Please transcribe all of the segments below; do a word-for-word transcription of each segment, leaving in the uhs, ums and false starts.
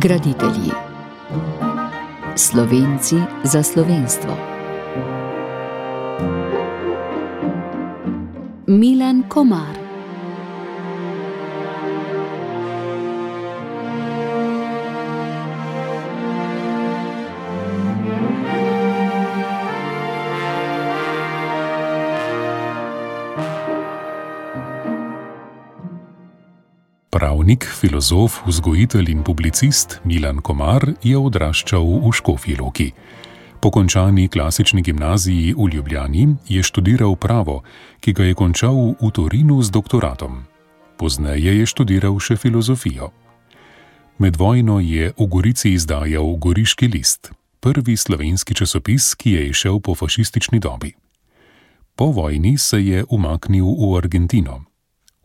Graditelji. Slovenci za slovenstvo. Milan Komar. Pravnik, filozof, vzgojitelj in publicist Milan Komar je odraščal v Škofji Loki. Po končani klasični gimnaziji v Ljubljani je študiral pravo, ki ga je končal v Torinu z doktoratom. Pozneje je študiral še filozofijo. Med vojno je v Gorici izdajal Goriški list, prvi slovenski časopis, ki je izšel po fašistični dobi. Po vojni se je umaknil v Argentino.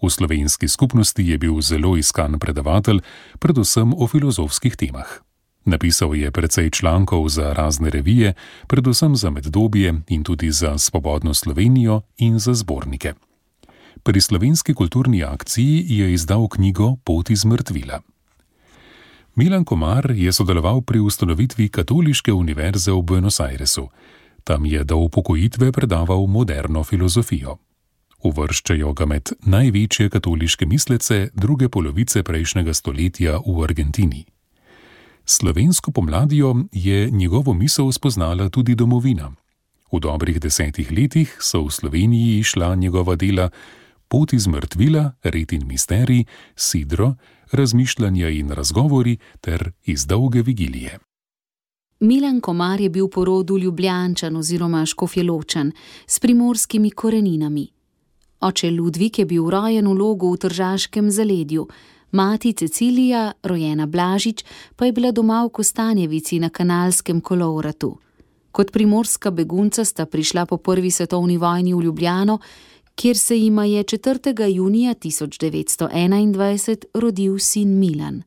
V slovenski skupnosti je bil zelo iskan predavatelj, predvsem o filozofskih temah. Napisal je precej člankov za razne revije, predvsem za Meddobje in tudi za Svobodno Slovenijo in za zbornike. Pri Slovenski kulturni akciji je izdal knjigo Pot iz mrtvila. Milan Komar je sodeloval pri ustanovitvi Katoliške univerze v Buenos Airesu. Tam je do upokojitve predaval moderno filozofijo. Uvrščajo ga med največje katoliške mislece druge polovice prejšnjega stoletja v Argentini. Slovensko pomladjo je njegovo misel spoznala tudi domovina. V dobrih desetih letih so v Sloveniji išla njegova dela Pot iz mrtvila, Red in misterij, Sidro, Razmišljanja in razgovori ter Iz dolge vigilije. Milan Komar je bil po rodu Ljubljančan oziroma Škofjeločan s primorskimi koreninami. Oče Ludvik je bil rojen v Logu v Tržaškem zaledju, mati Cecilija, rojena Blažič, pa je bila doma v Kostanjevici na Kanalskem kolovratu. Kot primorska begunca sta prišla po prvi svetovni vojni v Ljubljano, kjer se jima je četrtega junija tisoč devetsto enaindvajset rodil sin Milan.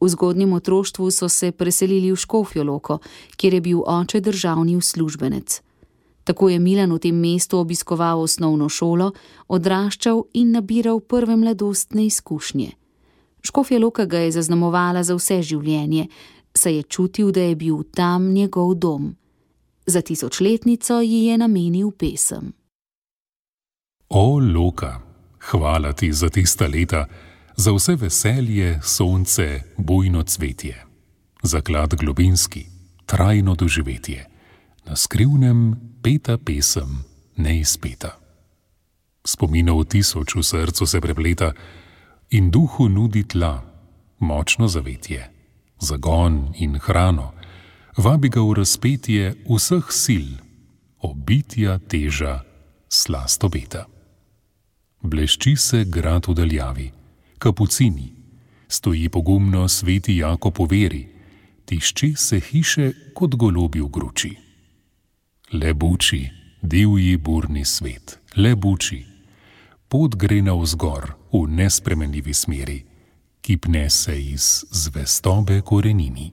V zgodnjem otroštvu so se preselili v Škofjo Loko, kjer je bil oče državni uslužbenec. Tako je Milan v tem mestu obiskoval osnovno šolo, odraščal in nabiral prve mladostne izkušnje. Škofja Loka ga je zaznamovala za vse življenje, saj je čutil, da je bil tam njegov dom. Za tisočletnico ji je namenil pesem. O Loka, hvala ti za tista leta, za vse veselje, sonce, bujno cvetje, za klad globinski, trajno doživetje. Na skrivnem peta pesem, neizpeta. Spominov tisoč v srcu se prepleta in duhu nudi tla, močno zavetje, zagon in hrano, vabi ga v razpetje vseh sil, obitja teža, slast obeta. Blešči se grad v daljavi, kapucini, stoji pogumno sveti Jakob v veri, tišči se hiše kot golobi v gruči. Le buči, divji burni svet, le buči, pot gre navzgor v nespremenljivi smeri, ki pne se iz zvestobe korenini.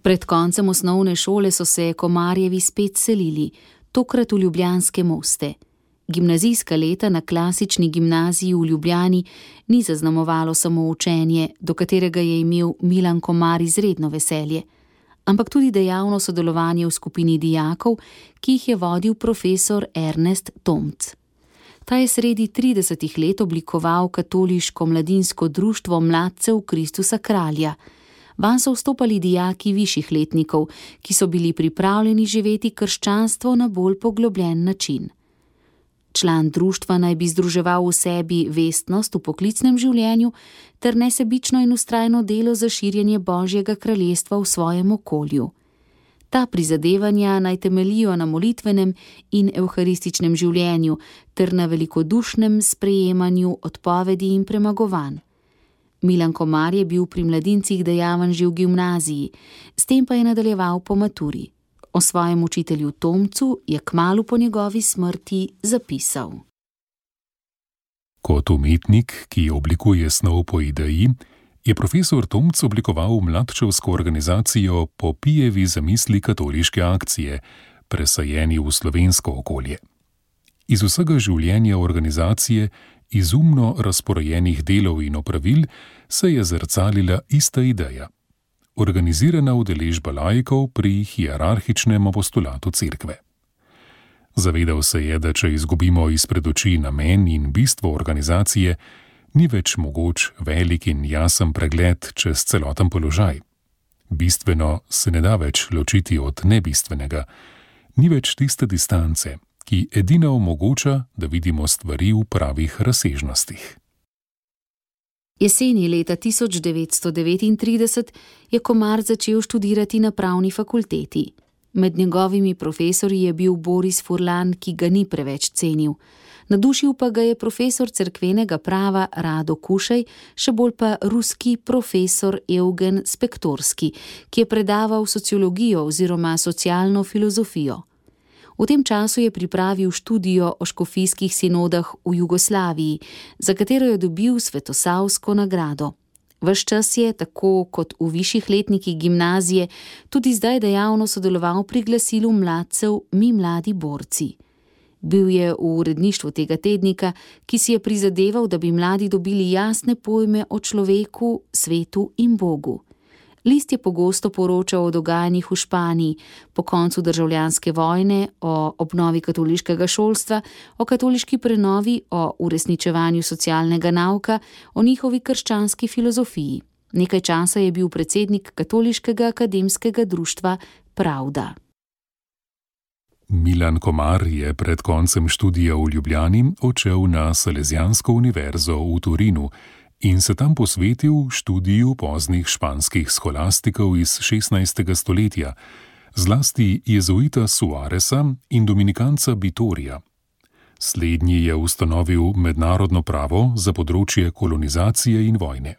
Pred koncem osnovne šole so se Komarjevi spet selili, tokrat v Ljubljanske Moste. Gimnazijska leta na klasični gimnaziji v Ljubljani ni zaznamovalo samo učenje, do katerega je imel Milan Komar izredno veselje, ampak tudi dejavno sodelovanje v skupini dijakov, ki jih je vodil profesor Ernest Tomc. Ta je sredi tridesetih let oblikoval katoliško mladinsko društvo mladcev Kristusa Kralja. Vanj so vstopali dijaki višjih letnikov, ki so bili pripravljeni živeti krščanstvo na bolj poglobljen način. Član društva naj bi združeval v sebi vestnost v poklicnem življenju ter nesebično in vztrajno delo za širjenje Božjega kraljestva v svojem okolju. Ta prizadevanja naj temeljijo na molitvenem in evharističnem življenju ter na velikodušnem sprejemanju odpovedi in premagovanj. Milan Komar je bil pri mladincih dejaven že v gimnaziji, s tem pa je nadaljeval po maturi. O svojem učitelju Tomcu je kmalu po njegovi smrti zapisal. Kot umetnik, ki oblikuje snov po ideji, je profesor Tomc oblikoval mladčevsko organizacijo po Pijevi zamisli katoliške akcije, presajeni v slovensko okolje. Iz vsega življenja organizacije izumno razporejenih delov in opravil se je zrcalila ista ideja: organizirana udeležba laikov pri hierarhičnem apostolatu cerkve. Zavedal se je, da če izgubimo izpred oči namen in bistvo organizacije, ni več mogoč velik in jasen pregled čez celoten položaj. Bistveno se ne da več ločiti od nebistvenega, ni več tiste distance, ki edina omogoča, da vidimo stvari v pravih razsežnostih. Jeseni leta tisoč devetsto devetintrideset je Komar začel študirati na pravni fakulteti. Med njegovimi profesorji je bil Boris Furlan, ki ga ni preveč cenil. Nadušil pa ga je profesor cerkvenega prava Rado Kušej, še bolj pa ruski profesor Evgen Spektorski, ki je predaval sociologijo oziroma socialno filozofijo. V tem času je pripravil študijo o škofijskih sinodah v Jugoslaviji, za katero je dobil Svetosavsko nagrado. Ves čas je, tako kot v višjih letnikih gimnazije, tudi zdaj dejavno sodeloval pri glasilu mladcev Mi mladi borci. Bil je v uredništvu tega tednika, ki si je prizadeval, da bi mladi dobili jasne pojme o človeku, svetu in Bogu. List je pogosto poročal o dogajanjih v Španiji, po koncu državljanske vojne, o obnovi katoliškega šolstva, o katoliški prenovi, o uresničevanju socialnega nauka, o njihovi krščanski filozofiji. Nekaj časa je bil predsednik Katoliškega akademskega društva Pravda. Milan Komar je pred koncem študija v Ljubljani odšel na Salesijansko univerzo v Torinu in se tam posvetil študiju poznih španskih scholastikov iz šestnajstega stoletja, zlasti jezuita Suaresa in dominikanca Bitorija. Slednji je ustanovil mednarodno pravo za področje kolonizacije in vojne.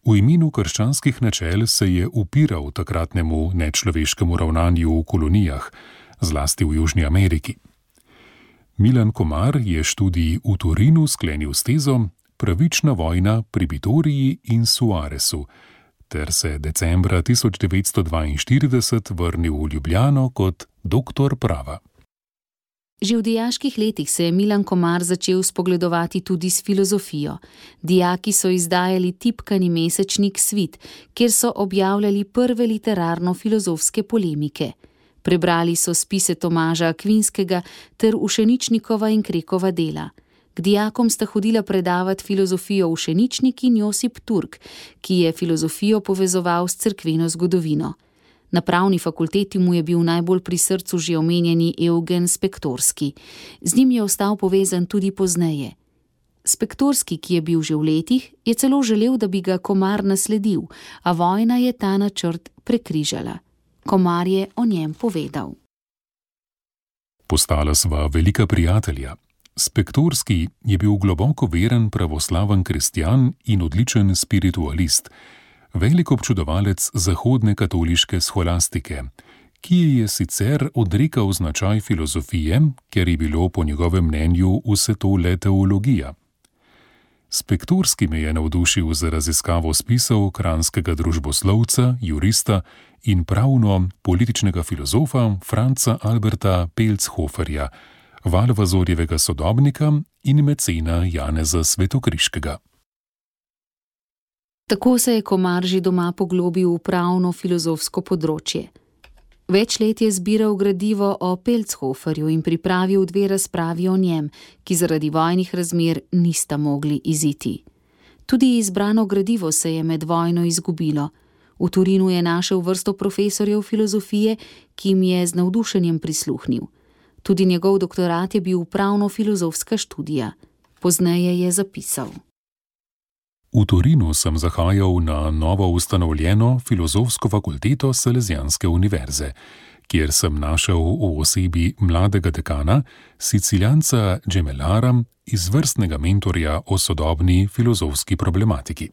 V imenu krščanskih načel se je upiral takratnemu nečloveškemu ravnanju v kolonijah, zlasti v Južni Ameriki. Milan Komar je študij v Torinu sklenil s tezo Pravična vojna pri Bitoriji in Suaresu, ter se decembra tisoč devetsto dvainštirideset vrnil v Ljubljano kot doktor prava. Že v dijaških letih se je Milan Komar začel spogledovati tudi s filozofijo. Dijaki so izdajali tipkani mesečnik Svit, kjer so objavljali prve literarno-filozofske polemike. Prebrali so spise Tomaža Akvinskega ter Ušeničnikova in Krekova dela. K dijakom sta hodila predavati filozofijo Ušeničnik in Josip Turk, ki je filozofijo povezoval s cerkveno zgodovino. Na pravni fakulteti mu je bil najbolj pri srcu že omenjeni Evgen Spektorski. Z njim je ostal povezan tudi pozneje. Spektorski, ki je bil že v letih, je celo želel, da bi ga Komar nasledil, a vojna je ta načrt prekrižala. Komar je o njem povedal. Postala sva velika prijatelja. Spektorski je bil globoko veren pravoslaven kristjan in odličen spiritualist, velik občudovalec zahodne katoliške scholastike, ki je sicer odrekal značaj filozofije, ker je bilo po njegovem mnenju vse to le teologija. Spektorski me je navdušil za raziskavo spisov kranjskega družboslovca, jurista in pravno-političnega filozofa Franca Alberta Pelzhoferja, Valvazorjevega sodobnika in mecena Janeza Svetokriškega. Tako se je Komar že doma poglobil v pravno-filozofsko področje. Več let je zbiral gradivo o Pelzhoferju in pripravil dve razpravi o njem, ki zaradi vojnih razmer nista mogli iziti. Tudi izbrano gradivo se je med vojno izgubilo. V Torinu je našel vrsto profesorjev filozofije, ki jim je z navdušenjem prisluhnil. Tudi njegov doktorat je bil pravno-filozofska študija. Pozneje je zapisal. V Torinu sem zahajal na novo ustanovljeno filozofsko fakulteto Salesijanske univerze, kjer sem našel v osebi mladega dekana, Siciljanca Gemelara, izvrstnega mentorja o sodobni filozofski problematiki.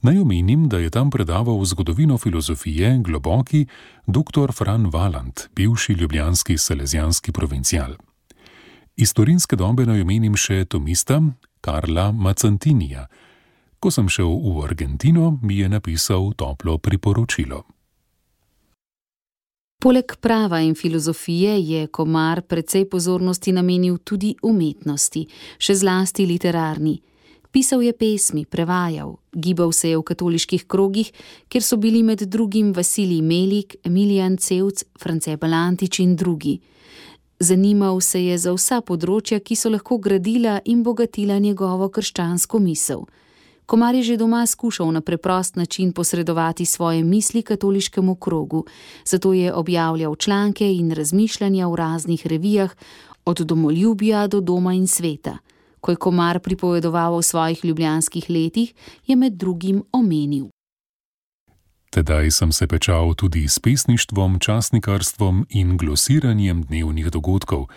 Naj omenim, da je tam predaval zgodovino filozofije globoki doktor Fran Valant, bivši ljubljanski salezijanski provincial. Iz torinske dobe naj omenim še tomista Karla Macantinija. Ko sem šel v Argentino, mi je napisal toplo priporočilo. Poleg prava in filozofije je Komar precej pozornosti namenil tudi umetnosti, še zlasti literarni. Pisal je pesmi, prevajal, gibal se je v katoliških krogih, kjer so bili med drugim Vasilij Melik, Emilijan Cevc, France Balantič in drugi. Zanimal se je za vsa področja, ki so lahko gradila in bogatila njegovo krščansko misel. Komar je že doma skušal na preprost način posredovati svoje misli katoliškemu krogu, zato je objavljal članke in razmišljanja v raznih revijah, od Domoljubja do Doma in sveta. Ko je Komar pripovedoval o svojih ljubljanskih letih, je med drugim omenil: Tedaj sem se pečal tudi s pesništvom, časnikarstvom in glosiranjem dnevnih dogodkov.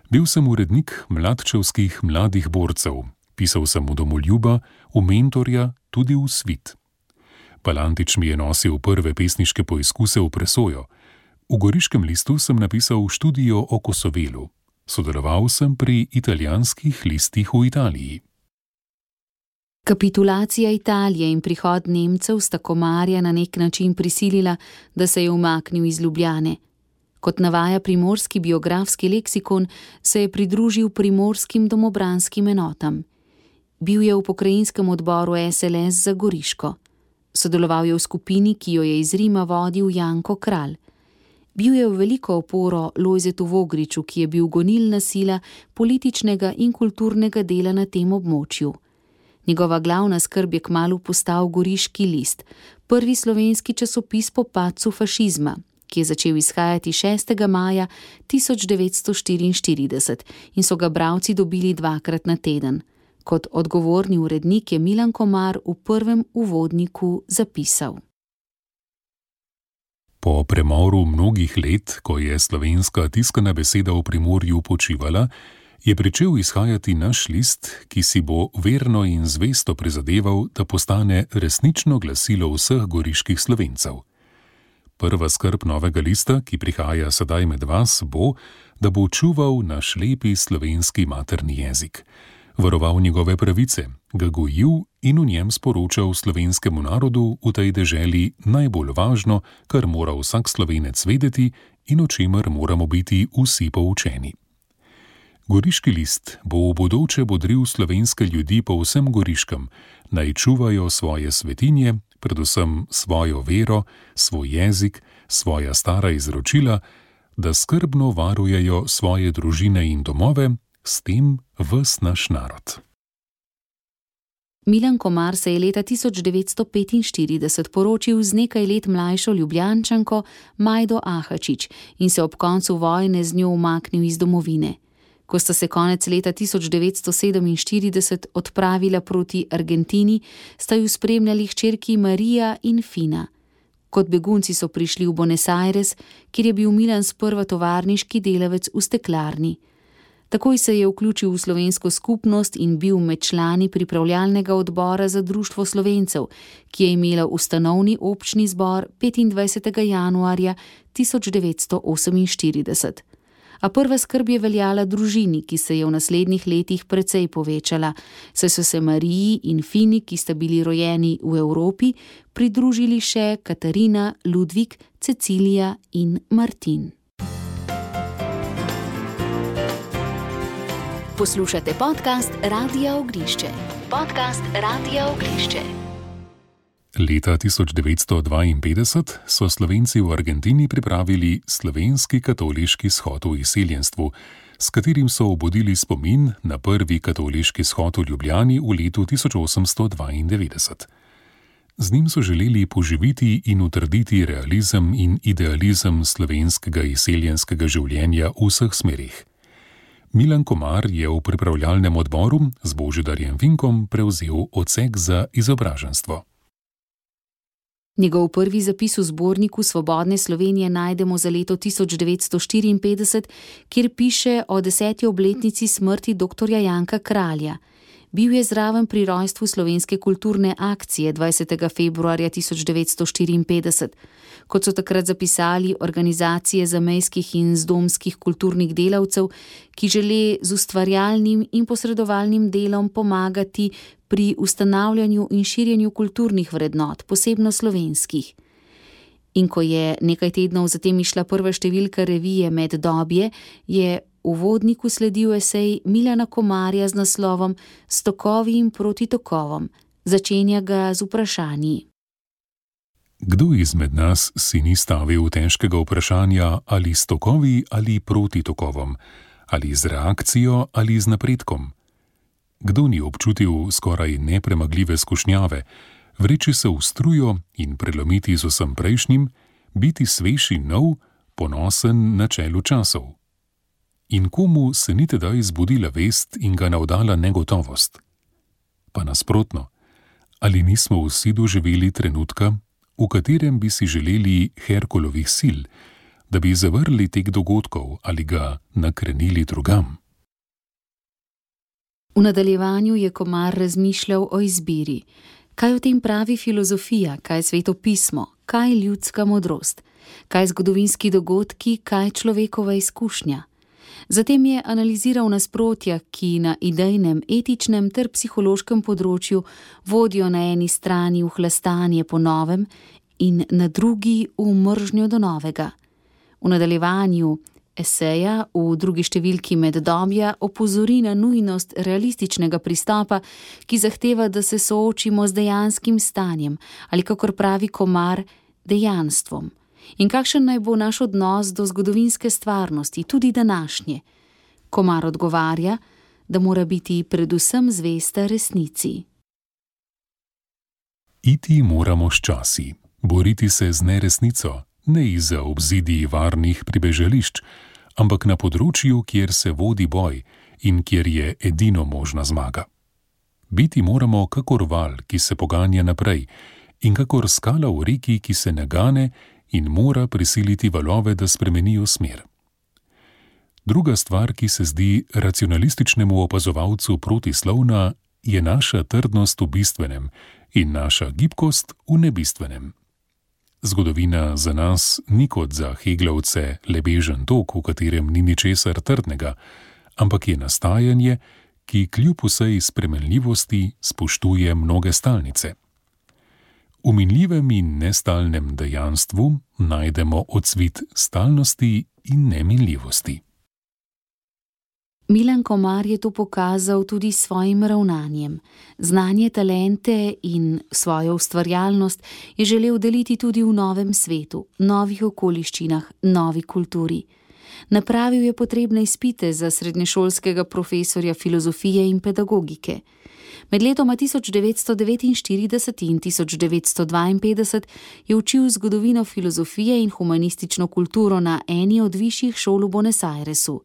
Bil sem urednik mladčevskih mladih borcev. Pisal sem v Domoljuba, v Mentorja, tudi v Svit. Balantič mi je nosil prve pesniške poizkuse v presojo. V Goriškem listu sem napisal študijo o Kosovelu. Sodeloval sem pri italijanskih listih v Italiji. Kapitulacija Italije in prihod Nemcev sta Komarja na nek način prisilila, da se je umaknil iz Ljubljane. Kot navaja primorski biografski leksikon, se je pridružil primorskim domobranskim enotam. Bil je v pokrajinskem odboru S L S za Goriško. Sodeloval je v skupini, ki jo je iz Rima vodil Janko Kralj. Bil je v veliko oporo Lojzetu Vogriču, ki je bil gonilna sila političnega in kulturnega dela na tem območju. Njegova glavna skrb je kmalu postal Goriški list, prvi slovenski časopis po padcu fašizma, ki je začel izhajati šestega maja tisoč devetsto štiriinštirideset in so ga bralci dobili dvakrat na teden. Kot odgovorni urednik je Milan Komar v prvem uvodniku zapisal: Po premoru mnogih let, ko je slovenska tiskana beseda v Primorju počivala, je pričel izhajati naš list, ki si bo verno in zvesto prizadeval, da postane resnično glasilo vseh goriških Slovencev. Prva skrb novega lista, ki prihaja sedaj med vas, bo, da bo čuval naš lepi slovenski materni jezik, varoval njegove pravice, ga gojil in v njem sporočal slovenskemu narodu v tej deželi najbolj važno, kar mora vsak Slovenec vedeti in o čemer moramo biti vsi poučeni. Goriški list bo v bodoče bodril slovenske ljudi po vsem Goriškem, naj čuvajo svoje svetinje, predvsem svojo vero, svoj jezik, svoja stara izročila, da skrbno varujejo svoje družine in domove, s tem ves naš narod. Milan Komar se je leta tisoč devetsto petinštirideset poročil z nekaj let mlajšo Ljubljančanko Majdo Ahačič in se ob koncu vojne z njo umaknil iz domovine. Ko sta se konec leta tisoč devetsto sedeminštirideset odpravila proti Argentini, sta ju spremljali hčerki Marija in Fina. Kot begunci so prišli v Buenos Aires, kjer je bil Milan sprva tovarniški delavec v steklarni. Takoj se je vključil v slovensko skupnost in bil med člani pripravljalnega odbora za Društvo Slovencev, ki je imelo ustanovni občni zbor petindvajsetega januarja tisoč devetsto oseminštirideset. A prva skrb je veljala družini, ki se je v naslednjih letih precej povečala, saj so se Mariji in Fini, ki sta bili rojeni v Evropi, pridružili še Katarina, Ludvik, Cecilija in Martin. Poslušate podcast Radia Oglišče. Podcast Radia Oglišče. Leta tisoč devetsto dvainpetdeset so Slovenci v Argentini pripravili slovenski katoliški shod v izseljenstvu, s katerim so obudili spomin na prvi katoliški shod v Ljubljani v letu tisoč osemsto dvaindevetdeset. Z njim so želeli poživiti in utrditi realizem in idealizem slovenskega izseljenskega življenja v vseh smerih. Milan Komar je v pripravljalnem odboru z Božidarjem Vinkom prevzel odsek za izobraženstvo. Njegov prvi zapis v zborniku Svobodne Slovenije najdemo za leto tisoč devetsto štiriinpetdeset, kjer piše o deseti obletnici smrti doktorja Janka Kralja. Bil je zraven pri rojstvu slovenske kulturne akcije dvajsetega februarja tisoč devetsto štiriinpetdeset. Kot so takrat zapisali, organizacije zamejskih in zdomskih kulturnih delavcev, ki žele z ustvarjalnim in posredovalnim delom pomagati pri ustanavljanju in širjenju kulturnih vrednot, posebno slovenskih. In ko je nekaj tednov zatem išla prva številka revije Meddobje, je uvodniku sledil esej Milana Komarja z naslovom S tokovi in proti tokovom. Začenja ga z vprašanji. Kdo izmed nas si ni stavil težkega vprašanja, ali s tokovi ali proti tokovom, ali z reakcijo ali z napredkom? Kdo ni občutil skoraj nepremagljive skušnjave, vreči se v strujo in prelomiti z vsem prejšnjim, biti svež in nov, ponosen na čelu časov? In komu se ni tedaj zbudila vest in ga navdala negotovost? Pa nasprotno, ali nismo vsi doživeli trenutka, v katerem bi si želeli Herkulovih sil, da bi zavrli tek dogodkov ali ga nakrenili drugam? V nadaljevanju je Komar razmišljal o izbiri. Kaj o tem pravi filozofija, kaj svetopismo, kaj ljudska modrost, kaj zgodovinski dogodki, kaj človekova izkušnja. Zatem je analiziral nasprotja, ki na idejnem, etičnem ter psihološkem področju vodijo na eni strani v hlastanje po novem in na drugi v mržnjo do novega. V nadaljevanju eseja v drugi številki Meddobja opozori na nujnost realističnega pristopa, ki zahteva, da se soočimo z dejanskim stanjem ali, kakor pravi Komar, dejanstvom. In kakšen naj bo naš odnos do zgodovinske stvarnosti, tudi današnje? Komar odgovarja, da mora biti predvsem zvesta resnici. Iti moramo s časi, boriti se z neresnico, ne izza obzidij varnih pribežališč, ampak na področju, kjer se vodi boj in kjer je edino možna zmaga. Biti moramo kakor val, ki se poganja naprej, in kakor skala v reki, ki se nagane in mora prisiliti valove, da spremenijo smer. Druga stvar, ki se zdi racionalističnemu opazovalcu protislovna, je naša trdnost v bistvenem in naša gibkost v nebistvenem. Zgodovina za nas ni kot za Heglovce lebežen tok, v katerem ni ničesar trdnega, ampak je nastajanje, ki kljub vsej spremenljivosti spoštuje mnoge stalnice. V minljivem in nestalnem dejanstvu najdemo odsvit stalnosti in neminljivosti. Milan Komar je to pokazal tudi s svojim ravnanjem. Znanje, talente in svojo ustvarjalnost je želel deliti tudi v novem svetu, novih okoliščinah, novi kulturi. Napravil je potrebne izpite za srednješolskega profesorja filozofije in pedagogike. Med letoma tisoč devetsto devetinštirideset in tisoč devetsto dvainpetdeset je učil zgodovino filozofije in humanistično kulturo na eni od višjih šol v Buenos Airesu.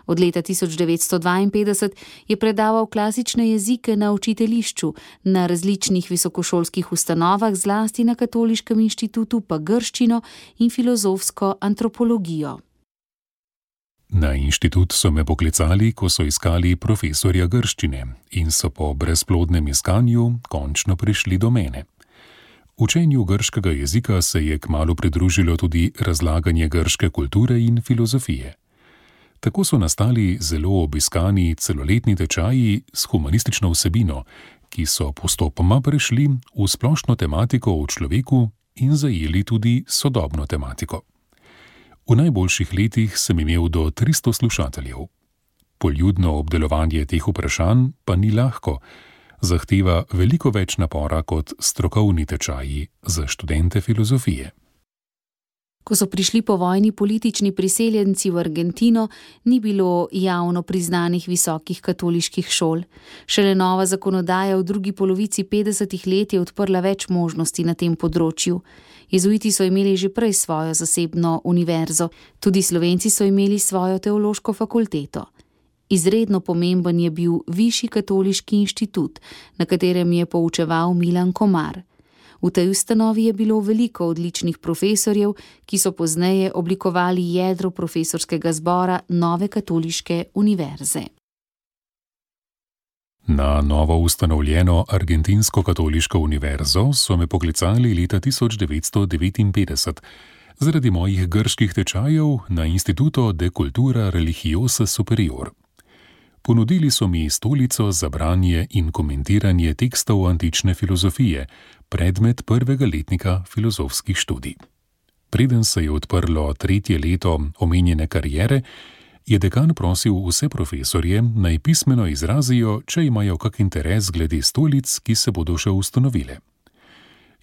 Od leta tisoč devetsto dvainpetdeset je predaval klasične jezike na učiteljišču, na različnih visokošolskih ustanovah, zlasti na Katoliškem inštitutu pa grščino in filozofsko antropologijo. Na inštitut so me poklicali, ko so iskali profesorja grščine in so po brezplodnem iskanju končno prišli do mene. Učenju grškega jezika se je kmalu pridružilo tudi razlaganje grške kulture in filozofije. Tako so nastali zelo obiskani celoletni tečaji s humanistično vsebino, ki so postopoma prešli v splošno tematiko o človeku in zajeli tudi sodobno tematiko. V najboljših letih sem imel do tristo slušateljev. Poljudno obdelovanje teh vprašanj pa ni lahko, zahteva veliko več napora kot strokovni tečaji za študente filozofije. Ko so prišli po vojni politični priseljenci v Argentino, ni bilo javno priznanih visokih katoliških šol. Šele nova zakonodaja v drugi polovici petdesetih let je odprla več možnosti na tem področju. Jezuiti so imeli že prej svojo zasebno univerzo, tudi Slovenci so imeli svojo teološko fakulteto. Izredno pomemben je bil Višji katoliški inštitut, na katerem je poučeval Milan Komar. V tej ustanovi je bilo veliko odličnih profesorjev, ki so pozneje oblikovali jedro profesorskega zbora nove katoliške univerze. Na novo ustanovljeno Argentinsko katoliško univerzo so me poklicali leta tisoč devetsto devetinpetdeset zaradi mojih grških tečajev na Instituto de Cultura Religiosa Superior. Ponudili so mi stolico za branje in komentiranje tekstov antične filozofije, predmet prvega letnika filozofskih študij. Preden se je odprlo tretje leto omenjene kariere, je dekan prosil vse profesorje, naj pismeno izrazijo, če imajo kak interes glede stolic, ki se bodo še ustanovile.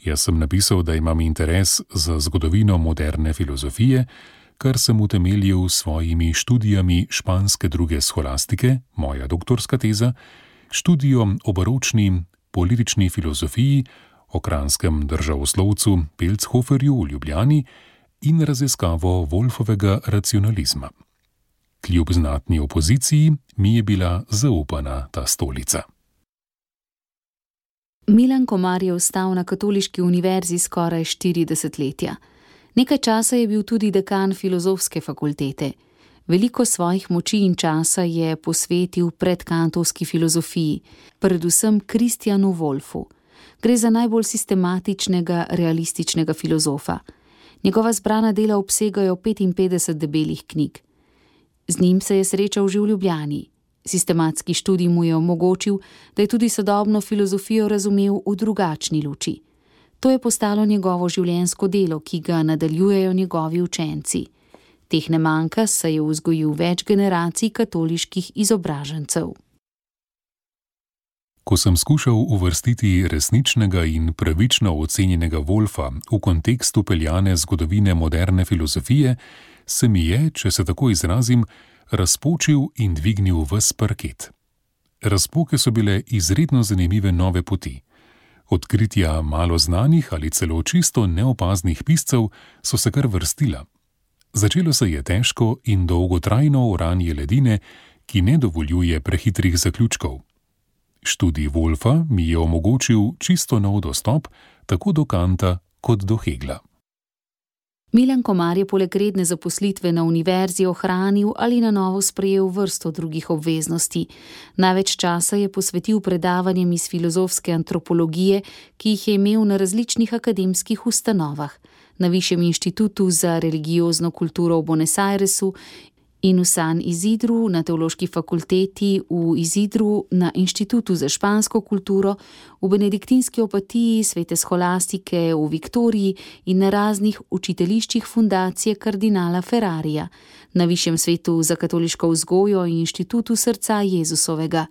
Jaz sem napisal, da imam interes za zgodovino moderne filozofije, kar sem utemeljil s svojimi študijami španske druge sholastike, moja doktorska teza, študijo o baročni politični filozofiji, o kranjskem državoslovcu Pelzhoferju v Ljubljani in raziskavo Wolfovega racionalizma. Kljub znatni opoziciji mi je bila zaupana ta stolica. Milan Komar je ostal na Katoliški univerzi skoraj štiri desetletja. Nekaj časa je bil tudi dekan filozofske fakultete. Veliko svojih moči in časa je posvetil predkantovski filozofiji, predvsem Kristjanu Wolfu. Gre za najbolj sistematičnega, realističnega filozofa. Njegova zbrana dela obsegajo petinpetdeset debelih knjig. Z njim se je srečal že v Ljubljani. Sistematski študij mu je omogočil, da je tudi sodobno filozofijo razumel v drugačni luči. To je postalo njegovo življenjsko delo, ki ga nadaljujejo njegovi učenci. Teh ne manjka, saj je vzgojil več generacij katoliških izobražencev. Ko sem skušal uvrstiti resničnega in pravično ocenjenega Wolfa v kontekst upeljane zgodovine moderne filozofije, se mi je, če se tako izrazim, razpočil in dvignil ves parket. Razpoke so bile izredno zanimive nove poti. Odkritja malo znanih ali celo čisto neopaznih piscev so se kar vrstila. Začelo se je težko in dolgotrajno oranje ledine, ki ne dovoljuje prehitrih zaključkov. Študij Wolfa mi je omogočil čisto nov dostop, tako do Kanta kot do Hegla. Milan Komar je poleg redne zaposlitve na univerzi ohranil ali na novo sprejel vrsto drugih obveznosti. Največ časa je posvetil predavanjem iz filozofske antropologije, ki jih je imel na različnih akademskih ustanovah, na Višjem inštitutu za religiozno kulturo v Buenos Airesu in v San Isidru, na Teološki fakulteti v Isidru, na Inštitutu za špansko kulturo, v benediktinski opatiji Svete Scholastike v Viktoriji in na raznih učiteljiščih fundacije kardinala Ferrarija, na Višjem svetu za katoliško vzgojo in Inštitutu srca Jezusovega.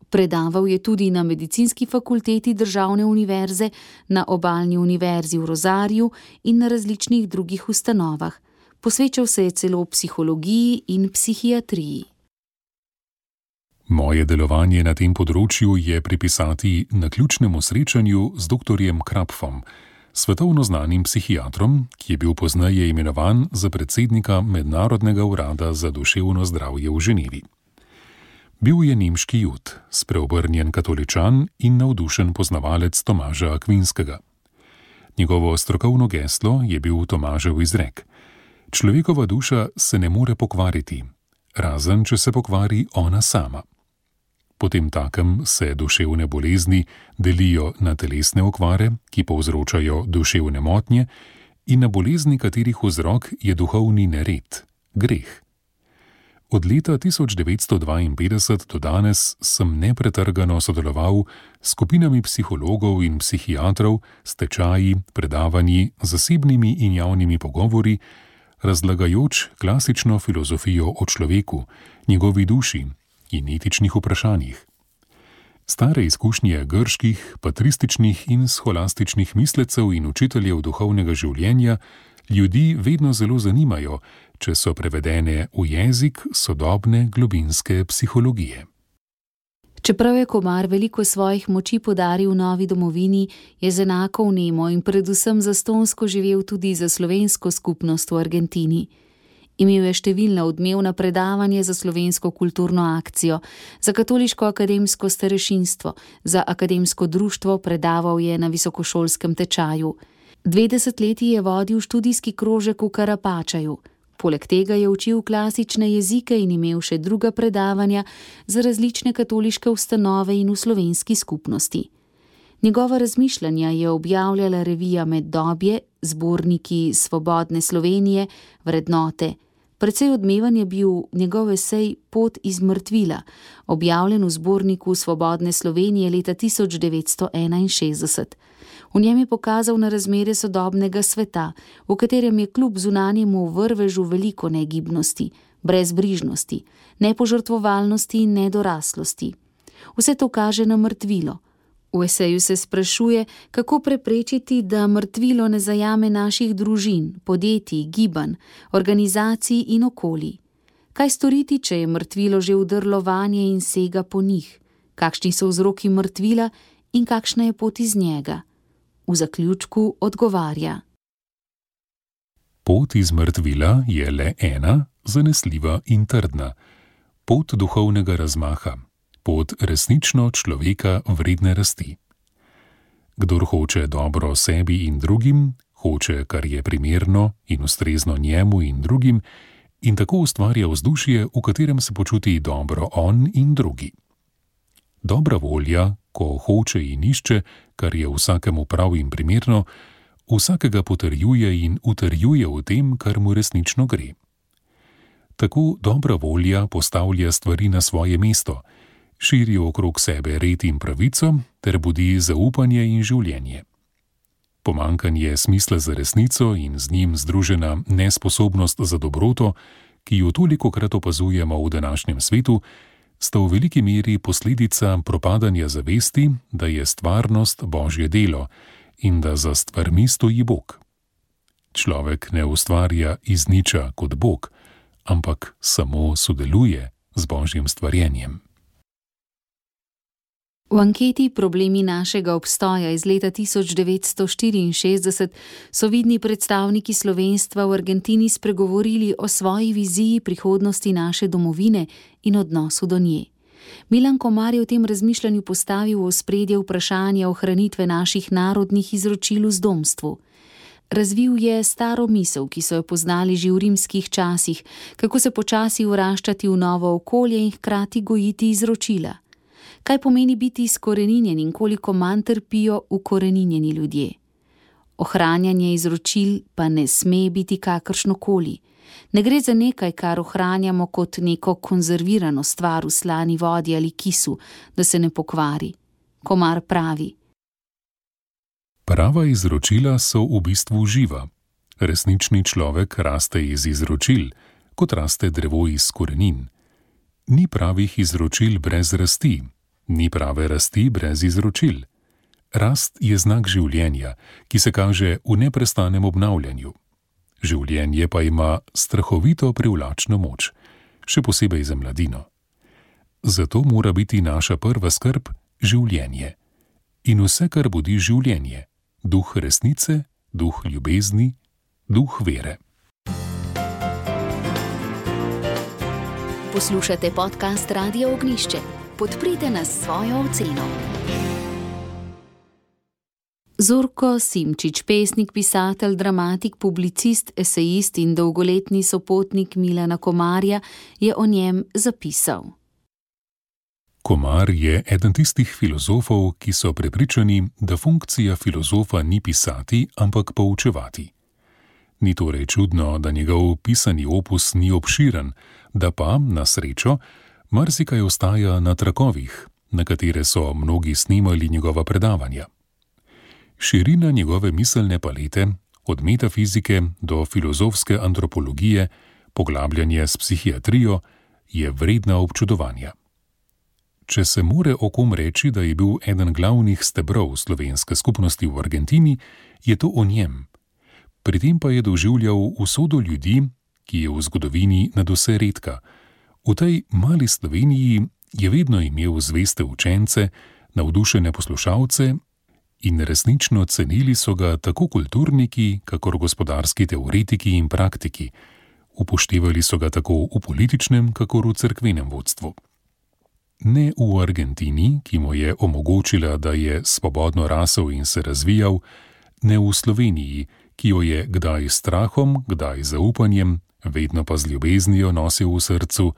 Predaval je tudi na Medicinski fakulteti državne univerze, na Obalni univerzi v Rosariju in na različnih drugih ustanovah. Posvečal se je celo psihologiji in psihiatriji. Moje delovanje na tem področju je pripisati naključnemu srečanju z doktorjem Krapfom, svetovno znanim psihiatrom, ki je bil pozneje imenovan za predsednika Mednarodnega urada za duševno zdravje v Ženevi. Bil je nemški Jud, spreobrnjen katoličan in navdušen poznavalec Tomaža Akvinskega. Njegovo strokovno geslo je bil Tomažev izrek: človekova duša se ne more pokvariti, razen če se pokvari ona sama. Potem takem se duševne bolezni delijo na telesne okvare, ki povzročajo duševne motnje, in na bolezni, katerih vzrok je duhovni nered, greh. Od leta tisoč devetsto dvainpetdeset do danes sem nepretrgano sodeloval s skupinami psihologov in psihiatrov, s tečaji, predavanji, zasebnimi in javnimi pogovori, razlagajoč klasično filozofijo o človeku, njegovi duši in etičnih vprašanjih. Stare izkušnje grških, patrističnih in scholastičnih mislecev in učiteljev duhovnega življenja ljudi vedno zelo zanimajo, če so prevedene v jezik sodobne globinske psihologije. Čeprav je Komar veliko svojih moči podaril novi domovini, je z enako vnemo in predvsem zastonjsko živel tudi za slovensko skupnost v Argentini. Imel je številna odmevna predavanja za slovensko kulturno akcijo, za katoliško akademsko starešinstvo, za akademsko društvo, predaval je na visokošolskem tečaju. Dve desetletji je vodil študijski krožek v Karapačaju. Poleg tega je učil klasične jezike in imel še druga predavanja za različne katoliške ustanove in v slovenski skupnosti. Njegova razmišljanja je objavljala revija Meddobje, zborniki Svobodne Slovenije, Vrednote. Precej odmevan je bil njegov esej Pot iz mrtvila, objavljen v zborniku Svobodne Slovenije leta tisoč devetsto enainšestdeset. V njem je pokazal na razmere sodobnega sveta, v katerem je kljub zunanjemu vrvežu veliko negibnosti, brezbrižnosti, nepožrtvovalnosti in nedoraslosti. Vse to kaže na mrtvilo. V eseju se sprašuje, kako preprečiti, da mrtvilo ne zajame naših družin, podjetij, gibanj, organizacij in okolij. Kaj storiti, če je mrtvilo že vdrlo vanje in sega po njih? Kakšni so vzroki mrtvila in kakšna je pot iz njega? V zaključku odgovarja: Pot iz mrtvila je le ena, zanesljiva in trdna. Pot duhovnega razmaha. Pot resnično človeka vredne rasti. Kdor hoče dobro sebi in drugim, hoče, kar je primerno in ustrezno njemu in drugim, in tako ustvarja vzdušje, v katerem se počuti dobro on in drugi. Dobra volja, ko hoče in išče, kar je vsakemu prav in primerno, vsakega potrjuje in utrjuje v tem, kar mu resnično gre. Tako dobra volja postavlja stvari na svoje mesto, širi okrog sebe red in pravico ter budi zaupanje in življenje. Pomanjkanje smisla za resnico in z njim združena nesposobnost za dobroto, ki jo tolikokrat opazujemo v današnjem svetu, sta v veliki meri posledica propadanja zavesti, da je stvarnost Božje delo in da za stvarmi stoji Bog. Človek ne ustvarja iz niča kot Bog, ampak samo sodeluje z Božjim stvarjenjem. V anketi Problemi našega obstoja iz leta tisoč devetsto štiriinšestdeset so vidni predstavniki slovenstva v Argentini spregovorili o svoji viziji prihodnosti naše domovine in odnosu do nje. Milan Komar je v tem razmišljanju postavil v ospredje vprašanje ohranitve naših narodnih izročil v zdomstvu. Razvil je staro misel, ki so jo poznali že v rimskih časih, kako se počasi vraščati v novo okolje in hkrati gojiti izročila. Kaj pomeni biti izkoreninjen in koliko manj trpijo ukoreninjeni ljudje. Ohranjanje izročil pa ne sme biti kakršnokoli. Ne gre za nekaj, kar ohranjamo kot neko konzervirano stvar v slani vodi ali kisu, da se ne pokvari. Komar pravi: Prava izročila so v bistvu živa. Resnični človek raste iz izročil, kot raste drevo iz korenin. Ni pravih izročil brez rasti. Ni prave rasti brez izročil. Rast je znak življenja, ki se kaže v neprestanem obnavljanju. Življenje pa ima strahovito privlačno moč, še posebej za mladino. Zato mora biti naša prva skrb življenje. In vse, kar budi življenje, duh resnice, duh ljubezni, duh vere. Poslušate podcast Radia Ognjišče. Podprite nas s svojo oceno. Zorko Simčič, pesnik, pisatelj, dramatik, publicist, esejist in dolgoletni sopotnik Milana Komarja, je o njem zapisal: Komar je eden tistih filozofov, ki so prepričani, da funkcija filozofa ni pisati, ampak poučevati. Ni torej čudno, da njegov pisani opus ni obširen, da pa, na srečo, marsikaj ostaja na trakovih, na katere so mnogi snimali njegova predavanja. Širina njegove miselne palete, od metafizike do filozofske antropologije, poglabljanje s psihiatrijo, je vredna občudovanja. Če se more o kom reči, da je bil eden glavnih stebrov slovenske skupnosti v Argentini, je to o njem. Pri tem pa je doživljal usodo ljudi, ki je v zgodovini nadvse redka. V tej mali Sloveniji je vedno imel zveste učence, navdušene poslušalce in resnično cenili so ga tako kulturniki, kakor gospodarski teoretiki in praktiki. Upoštevali so ga tako v političnem, kakor v cerkvenem vodstvu. Ne v Argentini, ki mu je omogočila, da je svobodno rasel in se razvijal, ne v Sloveniji, ki jo je kdaj s strahom, kdaj z zaupanjem, vedno pa z ljubeznijo nosil v srcu,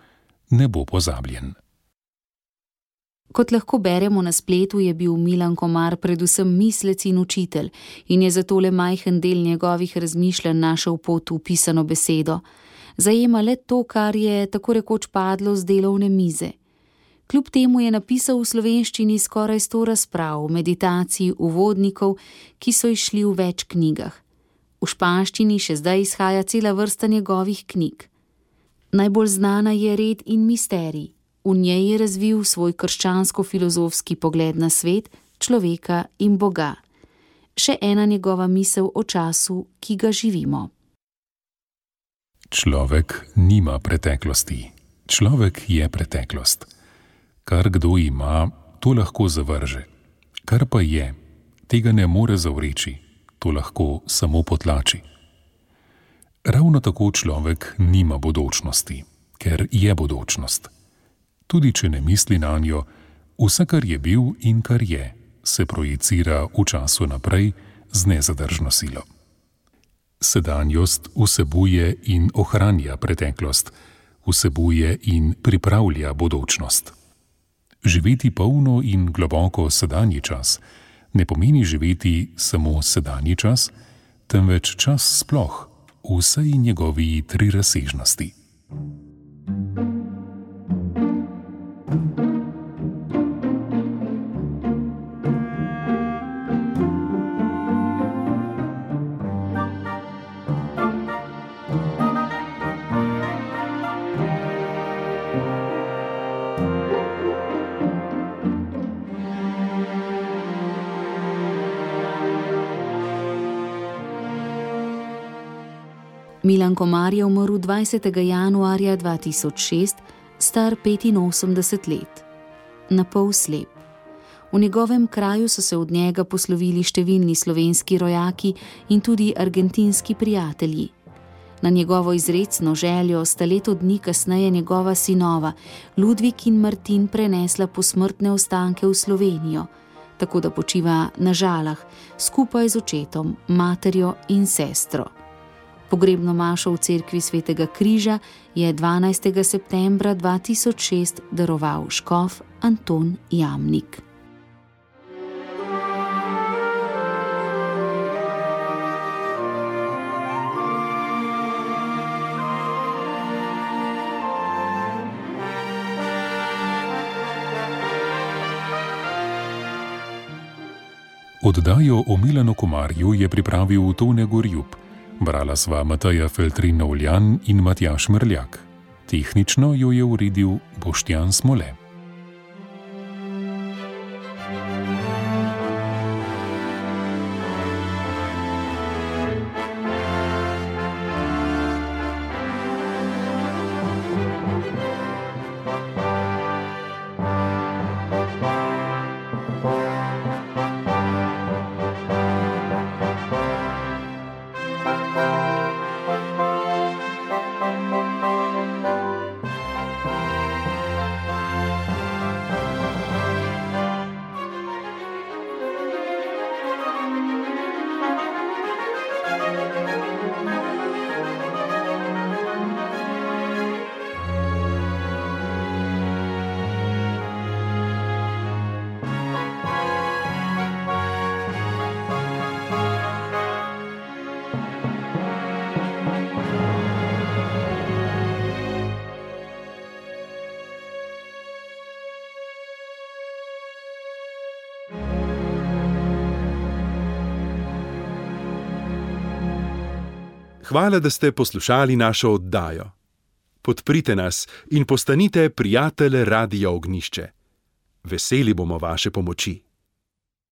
ne bo pozabljen. Kot lahko beremo na spletu, je bil Milan Komar predvsem mislec in učitelj in je zato le majhen del njegovih razmišljanj našel pot v pisano besedo. Zajema le to, kar je tako rekoč padlo z delovne mize. Kljub temu je napisal v slovenščini skoraj sto razprav, meditacij, uvodnikov, ki so izšli v več knjigah. V španščini še zdaj izhaja cela vrsta njegovih knjig. Najbolj znana je Red in misterij. V njej je razvil svoj krščansko-filozofski pogled na svet, človeka in Boga. Še ena njegova misel o času, ki ga živimo. Človek nima preteklosti. Človek je preteklost. Kar kdo ima, to lahko zavrže. Kar pa je, tega ne more zavreči, to lahko samo potlači. Ravno tako človek nima bodočnosti, ker je bodočnost. Tudi če ne misli nanjo, vse, kar je bil in kar je, se projicira v času naprej z nezadržno silo. Sedanjost vsebuje in ohranja preteklost, vsebuje in pripravlja bodočnost. Živeti polno in globoko sedanji čas ne pomeni živeti samo sedanji čas, temveč čas sploh, v vsej njegovi trirazsežnosti. Milan Komar je umrl dvajsetega januarja dva tisoč šest, star petinosemdeset let. Napol slep. V njegovem kraju so se od njega poslovili številni slovenski rojaki in tudi argentinski prijatelji. Na njegovo izrecno željo sta leto dni kasneje njegova sinova, Ludvik in Martin, prenesla posmrtne ostanke v Slovenijo, tako da počiva na Žalah, skupaj z očetom, materjo in sestro. Pogrebno mašo v cerkvi Svetega križa je dvanajstega septembra dva tisoč šest daroval škof Anton Jamnik. Oddajo o Milanu Komarju je pripravil Tone Gorjup. Brala sva Mateja Feltrin-Novljan in Matjaž Merljak. Tehnično jo je uredil Boštjan Smole. Hvala, da ste poslušali našo oddajo. Podprite nas in postanite prijatelj Radia Ognjišče. Veseli bomo vaše pomoči.